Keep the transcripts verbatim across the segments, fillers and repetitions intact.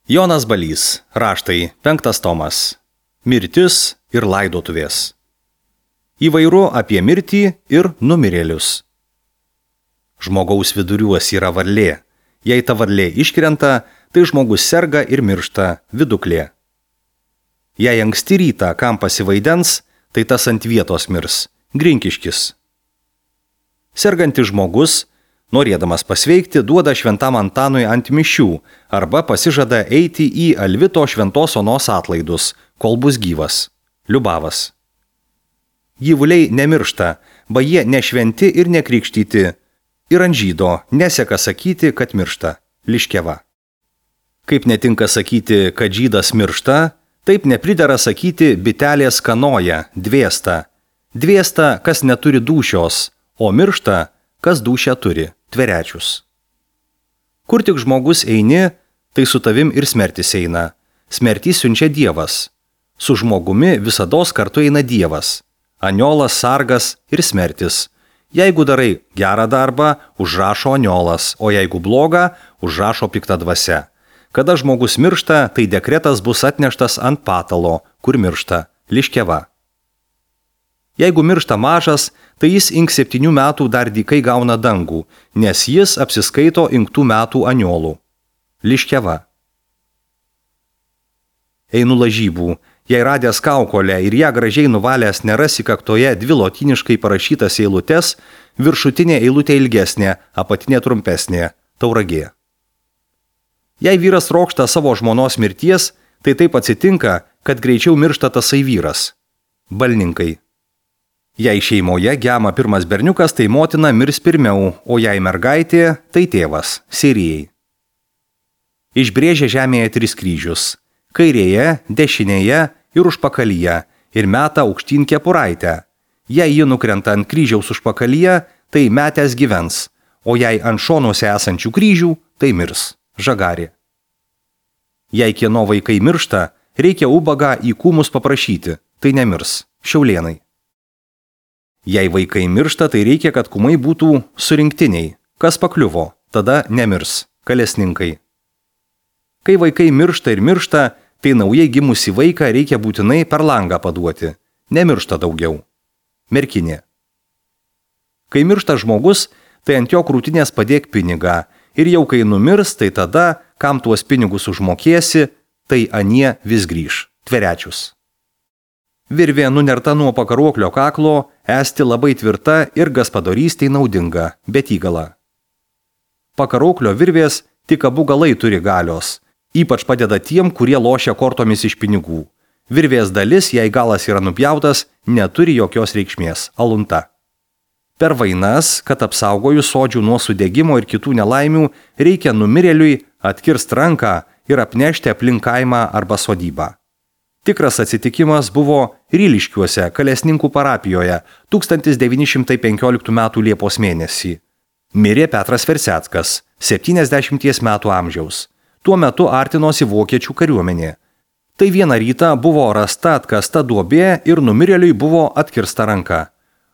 Jonas Balys, raštai, penktas tomas. Mirtis ir laidotuvės. Įvairu apie mirtį ir numirėlius. Žmogaus viduriuos yra varlė. Jei ta varlė iškrenta, tai žmogus serga ir miršta viduklė. Jei anksti rytą kam pasivaidens, tai tas ant vietos mirs, grinkiškis. Sergantis žmogus, norėdamas pasveikti, duoda šventam Antanui ant mišių arba pasižada eiti į Alvito šventos onos atlaidus, kol bus gyvas. Liubavas. Gyvuliai nemiršta, ba jie nešventi ir nekrikštyti, ir ant žydo neseka sakyti, kad miršta. Liškeva. Kaip netinka sakyti, kad žydas miršta, taip nepridera sakyti bitelės kanoja, dvėsta. Dvėsta, kas neturi dūšios, o miršta, kas dūšią turi, tverečius. Kur tik žmogus eini, tai su tavim ir smertis eina. Smertį siunčia Dievas. Su žmogumi visados kartu eina Dievas. Aniolas, sargas ir smertis. Jeigu darai gerą darbą, užrašo aniolas, o jeigu blogą, užrašo pikta dvasia. Kada žmogus miršta, tai dekretas bus atneštas ant patalo, kur miršta. Liškeva. Jeigu miršta mažas, tai jis ink septynių metų dar dykai gauna dangų, nes jis apsiskaito inktų metų aniolų. Liškeva. Einu lažybų. Jei radęs kaukolę ir ją gražiai nuvalęs nerasi kaktoje dvi lotyniškai parašytas eilutes, viršutinė eilutė ilgesnė, apatinė trumpesnė, Tauragė. Jei vyras trokšta savo žmonos mirties, tai taip atsitinka, kad greičiau miršta tasai vyras. Balninkai. Jei šeimoje gema pirmas berniukas, tai motina mirs pirmiau, o jei mergaitė, tai tėvas, Sirijai. Išbrėžia žemėje tris kryžius. Kairėje, dešinėje ir užpakalyje, ir meta aukštyn kepuraitę. Jei ji nukrenta ant kryžiaus užpakalyje, tai metęs gyvens, o jei ant šonuose esančių kryžių, tai mirs. Žagarė. Jei kieno vaikai miršta, reikia ubagą į kūmus paprašyti, tai nemirs. Šiaulėnai. Jei vaikai miršta, tai reikia, kad kūmai būtų surinktiniai. Kas pakliuvo, tada nemirs. Kalesninkai. Kai vaikai miršta ir miršta, tai naujai gimusi vaiką reikia būtinai per langą paduoti. Nemiršta daugiau. Merkinė. Kai miršta žmogus, tai ant jo krūtinės padėk pinigą. Ir jau kai numirs, tai tada, kam tuos pinigus užmokėsi, tai anie vis grįž. Tverečius. Virvė nunerta nuo pakaruoklio kaklo, esti labai tvirta ir gaspadorystei naudinga, bet įgala. Pakaruoklio virvės tik abu galai turi galios. Ypač padeda tiem, kurie lošia kortomis iš pinigų. Virvės dalis, jei galas yra nupjautas, neturi jokios reikšmės. Alunta. Per vainas, kad apsaugojus sodžių nuo sudegimo ir kitų nelaimių, reikia numirėliui atkirst ranką ir apnešti aplink kaimą arba sodybą. Tikras atsitikimas buvo Ryliškiuose, Kalesninkų parapijoje, tūkstantis devyni šimtai penkioliktų metų Liepos mėnesį. Mirė Petras Verseckas, septyniasdešimties metų amžiaus. Tuo metu artinosi vokiečių kariuomenė. Tai vieną rytą buvo rasta atkasta duobė ir numirėliui buvo atkirsta ranka.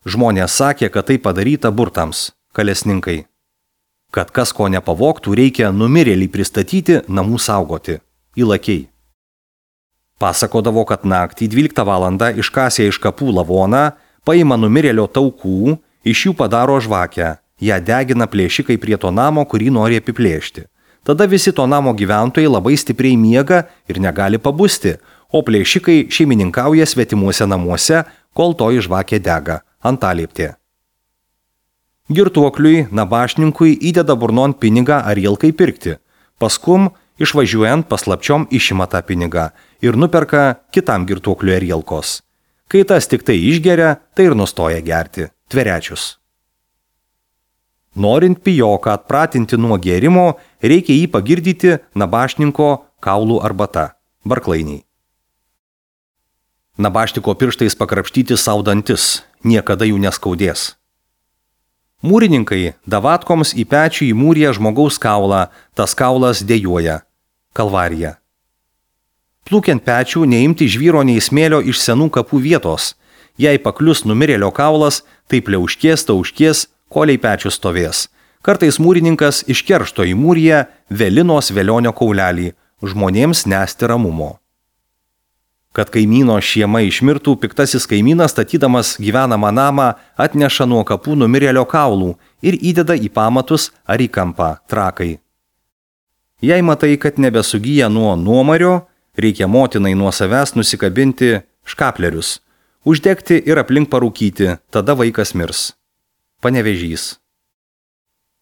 Žmonės sakė, kad tai padaryta burtams. Kalesninkai. Kad kas ko nepavogtų, reikia numirėlį pristatyti, namų saugoti. Įlakiai. Pasakodavo, kad naktį dvyliktą valandą iškasė iš kapų lavoną, paima numirėlio taukų, iš jų padaro žvakę. Ją degina plėšikai prie to namo, kurį nori apiplėšti. Tada visi to namo gyventojai labai stipriai miega ir negali pabusti, o plėšikai šeimininkauja svetimuose namuose, kol toji žvakė dega. Antalieptė. Girtuokliui, nabašninkui įdeda burnon pinigą ar ilkai pirkti. Paskum, išvažiuojant paslapčiom išima tą pinigą ir nuperka kitam girtuokliui ar ilkos. Kai tas tik tai išgeria, tai ir nustoja gerti. Tverečius. Norint pijoką atpratinti nuo gėrimo, reikia jį pagirdyti nabašninko kaulų arbata. Barklainiai. Nabašniko pirštais pakrapštyti saudantis, niekada jų neskaudės. Mūrininkai davatkoms į pečių įmūrė žmogaus kaulą, tas kaulas dejuoja. Kalvarija. Plūkiant pečių neimti žvyro nei smėlio iš senų kapų vietos. Jei paklius numirėlio kaulas, tai pliauškės, tauškės, koliai pečių stovės. Kartais mūrininkas iš keršto įmūrija velinos velionio kaulelį, žmonėms nesti ramumo. Kad kaimyno šiema išmirtų, piktasis kaimynas, statydamas gyvenamą namą, atneša nuo kapų numirėlio kaulų ir įdeda į pamatus ar į kampą trakai. Jei matai, kad nebesugyja nuo nuomario, reikia motinai nuo savęs nusikabinti škaplerius, uždegti ir aplink parūkyti, tada vaikas mirs. Panevėžys.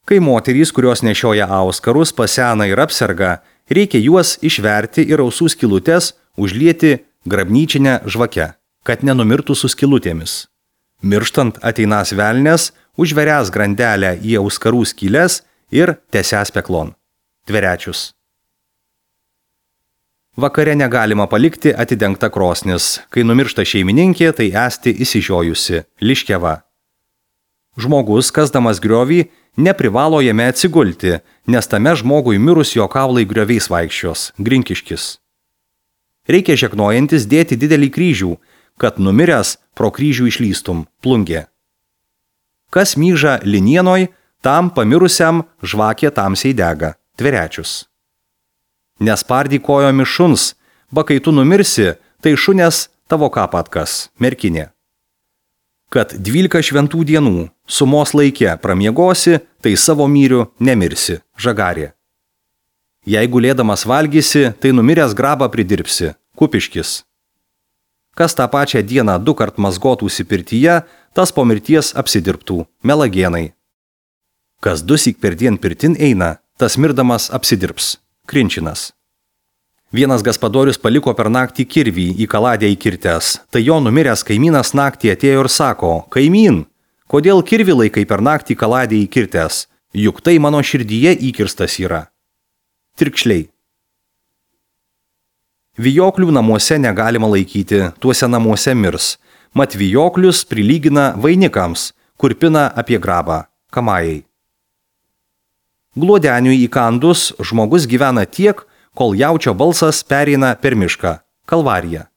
Kai moterys, kurios nešioja auskarus, pasena ir apserga, reikia juos išverti ir ausų skylutes užlieti grabnyčinę žvakę, kad nenumirtų su skylutėmis. Mirštant ateinas velnes, užveręs grandelę į auskarų skyles ir tęsęs peklon. Tverečius. Vakare negalima palikti atidengta krosnis. Kai numiršta šeimininkė, tai esti įsižiojusi, liškeva. Žmogus, kasdamas griovį, neprivalo jame atsigulti, nes tame žmogui mirus jo kaulai grioviais vaikščios, grinkiškis. Reikia žegnojantis dėti didelį kryžių, kad numiręs pro kryžių išlystum, plungė. Kas myža linienoj, tam pamirusiam žvakė tamsiai dega, tverečius. Nespardyk kojomis šuns, ba kai tu numirsi, tai šunės tavo kapatkas, merkinė. Kad dvylika šventų dienų sumos laike pramiegosi, tai savo myriu nemirsi, žagarė. Jei gulėdamas valgysi, tai numiręs grabą pridirbsi, kupiškis. Kas tą pačią dieną du kart mazgotųsi pirtyje, tas po mirties apsidirbtų, melagienai. Kas dusyk per dien pirtin eina, tas mirdamas apsidirbs, krinčinas. Vienas gaspadorius paliko per naktį kirvį į kaladę įkirtęs, tai jo numiręs kaimynas naktį atėjo ir sako, kaimyn, kodėl kirvį laikai per naktį kaladė įkirtęs, juk tai mano širdyje įkirstas yra. Tirkšliai. Vijoklių namuose negalima laikyti, tuose namuose mirs, mat vijoklius prilygina vainikams, kur pina apie grabą, kamajai. Gluodeniui įkandus žmogus gyvena tiek, kol jaučio balsas pereina per mišką, kalvarija.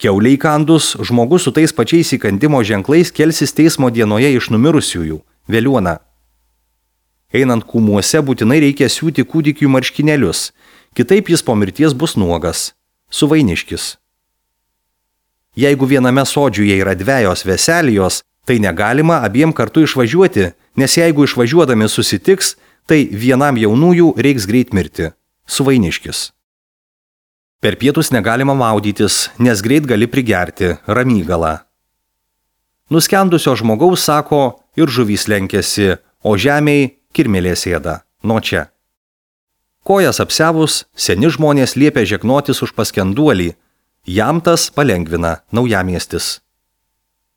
Kiauliai įkandus žmogus su tais pačiais įkandimo ženklais kelsis teismo dienoje iš numirusiųjų, vėliuona. Einant kūmuose būtinai reikia siūti kūdikių marškinėlius, kitaip jis po mirties bus nuogas, suvainiškis. Jeigu viename sodžiuje yra dvejos veselijos, tai negalima abiem kartu išvažiuoti, nes jeigu išvažiuodami susitiks, tai vienam jaunųjų reiks greit mirti, suvainiškis. Per pietus negalima maudytis, nes greit gali prigerti, ramygala. Nuskendusio žmogaus sako ir žuvys lenkėsi, o žemiai kirmėlė sėda, nuo čia. Kojas apsevus, seni žmonės liepia žegnotis už paskenduolį, jam tas palengvina naujamiestis.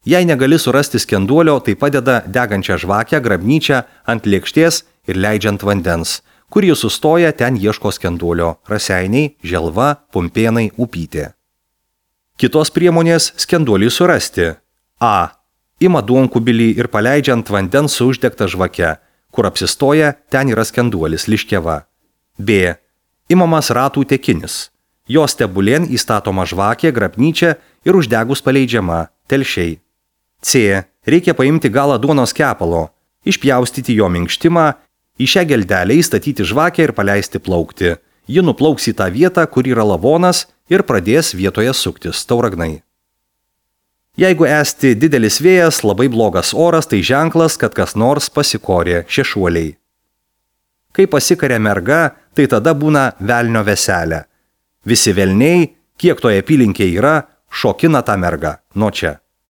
Jei negali surasti skenduolio, tai padeda degančią žvakę, grabnyčią ant lėkštės ir leidžiant vandens, kur jis sustoja, ten ieško skenduolio, Raseiniai, Želva, Pumpėnai, Upytė. Kitos priemonės skenduolį surasti. A. Ima duonkubilį ir paleidžiant vandens su uždegta žvake, kur apsistoja, ten yra skenduolis, liškeva. B. Imamas ratų tekinis. Jo stebulėn įstatoma žvakė, grabnyčia ir uždegus paleidžiama, telšiai. C. Reikia paimti galą duonos kepalo, išpjaustyti jo minkštimą, į šią geldelę įstatyti žvakę ir paleisti plaukti. Ji nuplauks į tą vietą, kur yra lavonas ir pradės vietoje suktis, tauragnai. Jeigu esti didelis vėjas, labai blogas oras, tai ženklas, kad kas nors pasikorė, šešuoliai. Kai pasikarė merga, tai tada būna velnio veselė. Visi velniai, kiek toje apylinkėje yra, šokina tą mergą, nuo čia.